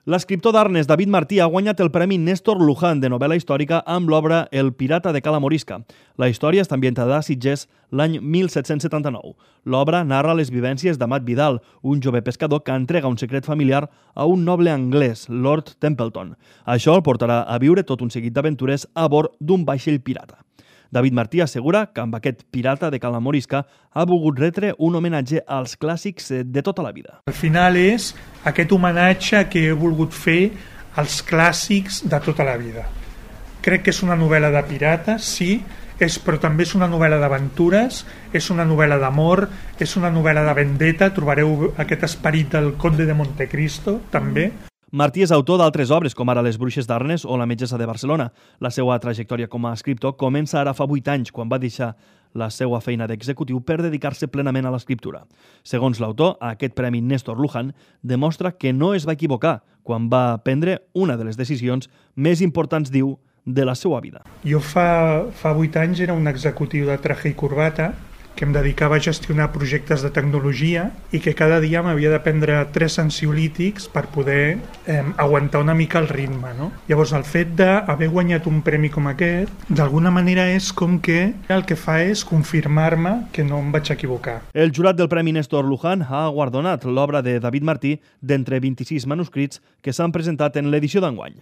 L'escriptor d'Arnes, David Martí, ha guanyat el Premi Néstor Luján de novel·la històrica amb l'obra El pirata de Cala Morisca. La història està ambientada a Sitges l'any 1779. L'obra narra les vivències d'Amat Vidal, un jove pescador que entrega un secret familiar a un noble anglès, Lord Templeton. Això el portarà a viure tot un seguit d'aventures a bord d'un vaixell pirata. David Martí assegura que amb aquest pirata de Cala Morisca ha volgut retre un homenatge als clàssics de tota la vida. Al final és aquest homenatge que he volgut fer als clàssics de tota la vida. Crec que és una novel·la de pirates, sí, però també és una novel·la d'aventures, és una novel·la d'amor, és una novel·la de vendetta, trobareu aquest esperit del Conde de Montecristo, també. Martí és autor d'altres obres, com ara Les bruixes d'Arnes o La metgessa de Barcelona. La seva trajectòria com a escriptor comença ara fa 8 anys, quan va deixar la seva feina d'executiu per dedicar-se plenament a l'escriptura. Segons l'autor, aquest Premi Néstor Luján demostra que no es va equivocar quan va prendre una de les decisions més importants, diu, de la seva vida. Jo fa 8 anys era un executiu de traje i corbata que em dedicava a gestionar projectes de tecnologia i que cada dia m'havia de prendre 3 ansiolítics per poder aguantar una mica el ritme. No? Llavors, el fet d'haver guanyat un premi com aquest, d'alguna manera és com que el que fa és confirmar-me que no em vaig equivocar. El jurat del Premi Néstor Luján ha guardonat l'obra de David Martí d'entre 26 manuscrits que s'han presentat en l'edició d'enguany.